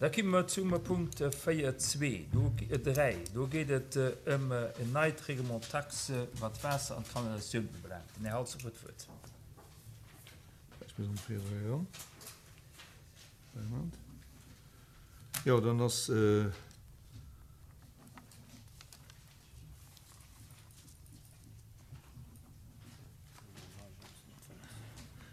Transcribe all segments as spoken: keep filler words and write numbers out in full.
Da komme mer zum Punkt véier zwee, do, dräi. Do geet et ëm en neit Règlement taxe, wat d'Waasser an d'Kanalisatioun ubelaangt. Den Här Halsdorf huet d'Wuert. Ech muss um véier dräi eran. Moment. Jo, dann ass.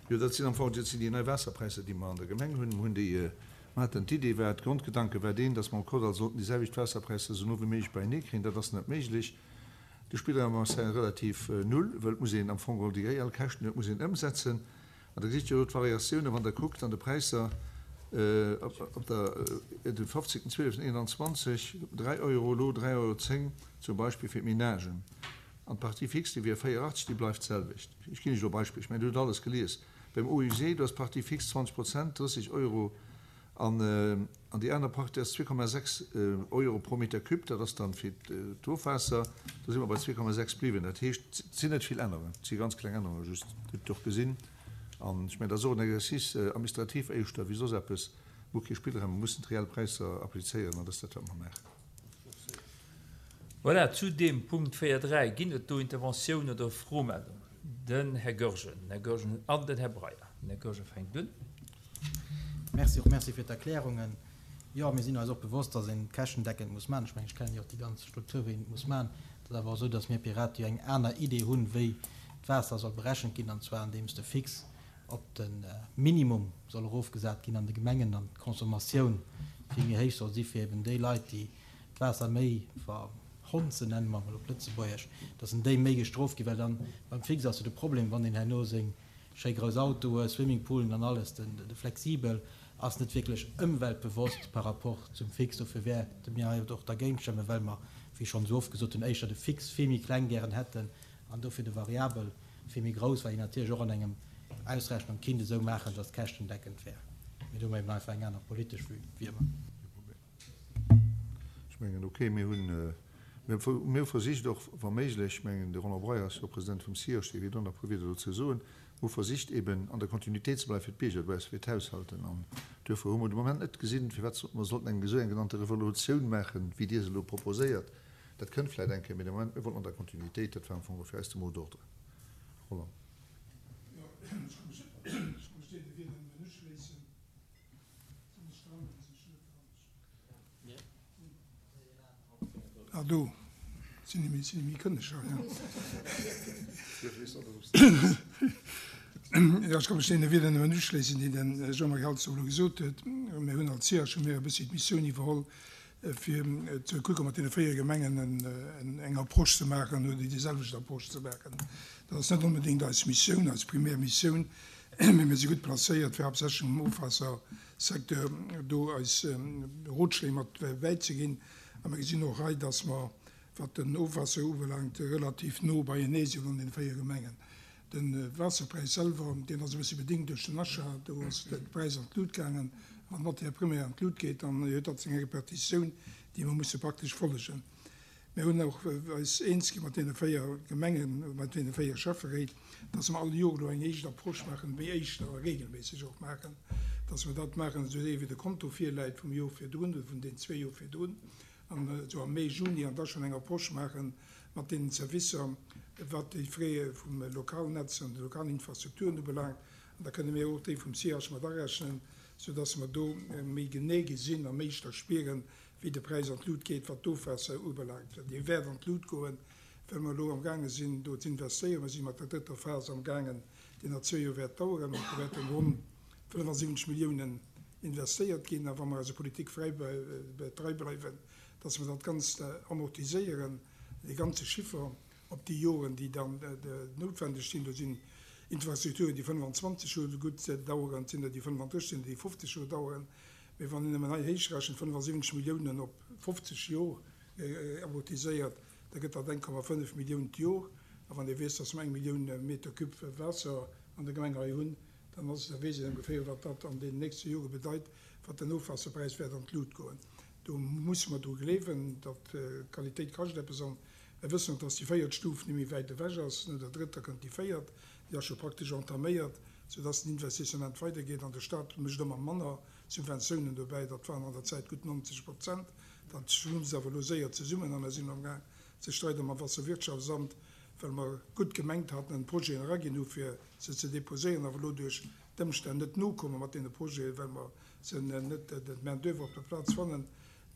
Jo, dat sinn am Fong, dat sinn déi nei Waasserpräisser, déi mer an der Gemeng hunn. Mer hunn déi, mer haten d'Idee war, d'Grondgedanke war deen, dass mer am Kordall sollten déi selwecht Waasserpräisser esou no wéi méiglech beienee kréien. Dat ass net méiglech. De Spillraum ass hei relativ null, well et muss een am Fong geholl déi reell Käschten, dat muss een ëmsetzen. An da gesitt Dir elo d'Variatiounen, wann Der kuckt an de Präisser op der, de fofzéngten zwieleften eenanzwanzeg, dräi Euro, elo dräi Euro zéng zum Beispill fir d'Menagen. An d'Partie fixe, déi wier véierachtzeg, déi bleift d'selwecht. Ech ginn lech elo e Beispill, ech mengen, Dir hutt alles gelies. Beim Eau usée, do ass d'Partie fixe zwanzeg Prozent, drësseg Euro, an déi aner Partie ass zwee Komma sechs Euro pro Meter cube, dat ass dann fir d'Ofwaasser, do si mer bei zwee Komma sechs bliwwen. Dat heescht, et sinn net vill Ännerungen, et si ganz kleng Ännerungen just, Dir hutt et och gesinn. An ech mengen, dat ass och en Exercice administratif éischter wéi soss eppes. Mir hu kee Spillraum, mir mussen d'reell Präisser applizéieren an dat ass dat, wat mer maachen. Voilà, zu deem Punkt véier dräi ginn et do Interventiounen oder Fromeldungen. Den Här Goergen, den Här Goergen an den Här Breyer. Den Här Goergen fänkt un. Merci, och merci fir d'Erklärungen. Jo, mir sinn eis och bewosst, dass een käschtendeckend muss maachen. Ech mengen, ech kennen jo och déi ganz Struktur, wéi een et muss maachen. Et ass awer och esou, dass mir Piraten jo eng aner Idee hunn, wéi d'Waasser soll berechent ginn, an zwar andeems de Fixe op de Minimum soll erofgesat ginn an de Gemengen an d'Consommatioun vill méi héich soll si fir eben déi Leit, déi d'Waasser méi verhonzen, nenne mer emol op Lëtzebuergesch, dass en déi méi gestrooft ginn, well dann beim Fixe ass jo de Problem, wann een herno seng schéi grouss Autoe, Swimmingpoolen an alles, den de flexibel ass net wierklech ëmweltbewosst par rapport zum Fixe. Dofir wäerte mir hei och dergéint stëmmen, well mer, wéi schonn esou oft gesot hunn, éischter de Fixe vill méi kleng gären hätten an dofir de Variabel vill méi grouss, well een natierlech och an engem Ausrechnung kinnt esou maachen, dass käschtendeckend wär. Mee do hu mer eben einfach eng aner politesch Vue wéi ëmmer. Ech mengen, okay, mir hunn, mir hu versicht och wa méiglech, ech mengen, de Roland Breyer ass jo President vum CIOSH, dee wäert och nach e puer Wierder dozou soen, mir hu versicht eben an der Kontinuitéit ze bleiwen fir d'Bierger dobausse, fir d'Haushalten. An duerfir hu mer de Moment net gesinn, firwat sollte mer sollten eng esou eng genannte Revolutioun maachen, wéi Dir se elo proposéiert. Dat kënnt vläicht eng Kéier, mee de Moment, mir wollten an der Kontinuitéit, dat war am Fong och fir eis de Mot d'ordre. Roland. Jo, ech muss deene Wierder nëmmen uschléissen. Sinn ech dran oder sinn ech net dran? Ah, do sinn ech méi, sinn ech méi kënneg hei, ja. Jo, ech ka mech deene Wierder nëmmen uschléissen, déi de Jean-Marie Halsdorf elo gesot huet. Mir hunn als CIH hu mir e bëssi d'Missioun iwwerholl, fir ze kucke mat deene véier Gemengen eng Approche ze maachen oder déi selwecht Approche ze maachen. Dat ass net onbedéngt eis Missioun, eis primär Missioun, mee mir si gutt placéiert, fir haaptsächlech um Ofwaassersecteur do eis Rotschléi mat bäizeginn. A mir gesinn och hei, dass mer, wat den Ofwaasser ubelaangt, relativ no beienee sinn an deene véier Gemengen. De Waasserpräis selwer, deen ass e bëssi bedéngt duerch den Achat. Do ass de Präis an d'Lut gaangen. Wann d'Matière première an d'Lut geet, dann huet dat seng Repercussioun, déi mer musse praktesch follegen. Mir hunn och eis eens gi mat deene véier Gemengen, mat deene véier Schäfferéit, dass mer all Joer elo eng éischt Approche maachen, méi éischter a regelméisseg och maachen, dass mer dat maachen, esou wéi de Konto virläit vum Joer virdrun oder vun den zwee Joer virdrun, an esou am Mee, Juni, an da schonn eng Approche maachen mat deenen Servicer, wat déi Frais vum Lokalnetz an de lokalen Infrastrukturen ubelaangt. An da kënne mir och déi vum C I H mat arechnen, soudass mer do méi genee gesinn a méi éischter spieren, wéi de Präis an d'Lut geet, wat d'Ofwaasser ubelaangt. Dee wäert an d'Lut goen, well mer elo amgaange sinn, do ze investéieren. Mer si mat der drëtter Phas amgaangen, déi nach zwee Joer wäert daueren. Do wäerten ronn fënnefasiwwenzeg Milliounen investéiert ginn. A wa mer eiser Politik frei trei bleiwen, dass mer dat Ganzt amortiséieren, dee ganze Chiffer op déi Joren, déi dann noutwendeg sinn. Do sinn Infrastrukturen, déi fënnefanzwanzeg Joer gutt daueren, et sinn der, déi fënnefandrësseg sinn, déi fofzeg Joer daueren. Mee wann een nëmmen hei héichrechent, fënnefasiwwenzeg Milliounen op fofzeg Joer amortiséiert, da gëtt dat eng Komma fënnef Millioun d'Joer. A wann ee weess, dass mer eng Millioun Meter cube Waasser an der Gemeng hei hunn, dann ass et, da weess een ongeféier, wat dat an deenen nächste Jore bedeit, wat den Ofwaasserpräis wäert an d'Lut goen. Do musse mer dru gleewen, datt d'Qualitéit kascht eppes. An mir wëssen och, dass déi véiert Stuf net méi wäit ewech ass. No der drëtter kënnt déi véiert, déi ass scho praktesch entaméiert, soudass den Investissement weidergeet. An de Stat mécht ëmmer manner. Subventiounen dobäi, dat waren an der Zäit gutt neunzeg Prozent. Dat schlummst awer elo séier zesummen a mir sinn amgaang ze streide mam Wasserwirtschaftsamt, well mer gutt gemengt haten an Projeten eraginn hu fir se ze deposéieren, awer elo duerch d'Ëmstänn net nokomme mat deene Projeten, well mer se net d'Main d'oeuvre op der Plaz fannen,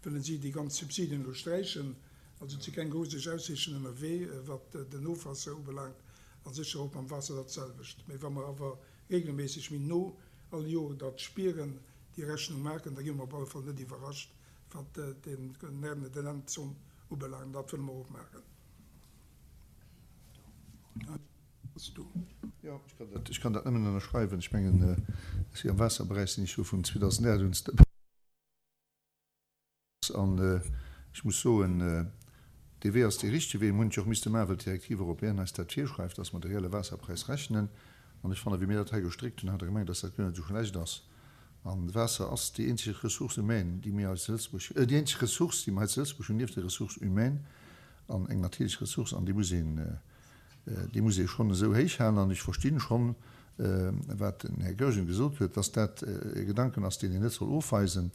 wëllen si déi ganz Subsidien elo sträichen. Also et si keng roseg Aussiichten ënnerwee, wat den Ofwaasser ubelaangt, a sécher och mam Waasser dat selwecht. Mee wa mer awer regelméisseg méi no all Joer dat spieren, déi Rechnung maachen, da gi mer op alle Fall net iwwerrascht, wat den den Endzomm ubelaangt. Dat wëlle mer och maachen. Jo, ech kann dat nëmmen ënnerschreiwen. Ech mengen, ech si am Waasserberäich sinn ech jo vun zweedausendacht un dobäi. An ech muss soen, dee Wee ass dee richtege Wee. Mir hunn et jo och misste maachen, well d'Directive européenne eis dat virschreift, dass mer de reelle Waasserpräis rechnen. An ech fannen, wéi mir dat hei gestréckt hunn, hat Der gemengt, dass dat guer net esou schlecht ass. An Waasser ass déi eenzeg Ressource humaine, déi mir hei zu Lëtzebuerg, déi eenzeg Ressource, déi mer hei zu Lëtzebuerg hunn, nieft der Ressource humaine, an eng natierlech Ressource, an déi muss een, déi muss ee schonn esou héich halen. An ech verstinn schonn, wat den Här Goergen gesot huet, dass dat e Gedanken ass, deen een net soll ofweisen,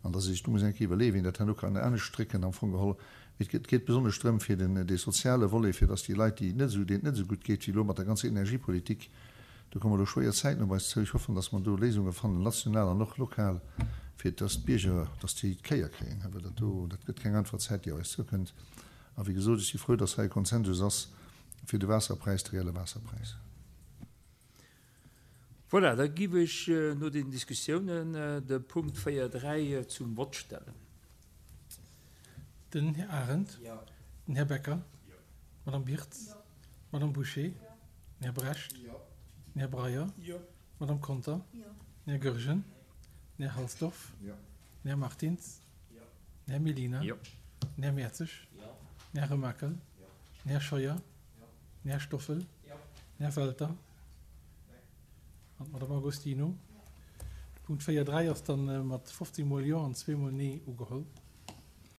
an dass ee sech do muss eng Kéier iwwerleeën, wéi een dat herno kann anescht strécken am Fong geholl. Et geet besonnesch drëm fir den, dee soziale Volet, fir dass déi Leit, déi net esou, deenen et net esou gutt geet wéi elo mat der ganzer Energiepolitik, do komme elo schwéier Zäiten op eis zou. Ech hoffen, dass mer do Léisunge fannen, national an och lokal, fir dass d'Bierger, dass déi d'Kéier kréien, well dat do, dat gëtt keng einfach Zäit, déi op eis zoukënnt. A wéi gesot, ech si frou, dass hei e Konsensus ass fir de Waasserpräis, de reelle Waasserpräis. Voilà, da giff ech no den Diskussiounen de Punkt véier dräi zum Vott stellen. Den Här Arendt. Jo. Den Här Becker. Jo. D'Madame Birtz. Jo. D'Madame Bouché. Jo. Den Här Brecht. Jo. Den Här Breyer. Jo. D'Madame Conter. Jo. Den Här Goergen. Den Här Halsdorf. Jo. Den Här Martins. Jo. Den Här Mellina. Jo. Den Här Mertzig. Jo. Den Här Remakel. Jo. Den Här Scheuer. Jo. Den Här Stoffel. Jo. Den Här Welter. An d'Madame Agostino. De Punkt véier dräi ass dann mat fofzéng Mol Jo an zwee Mol Nee ugeholl.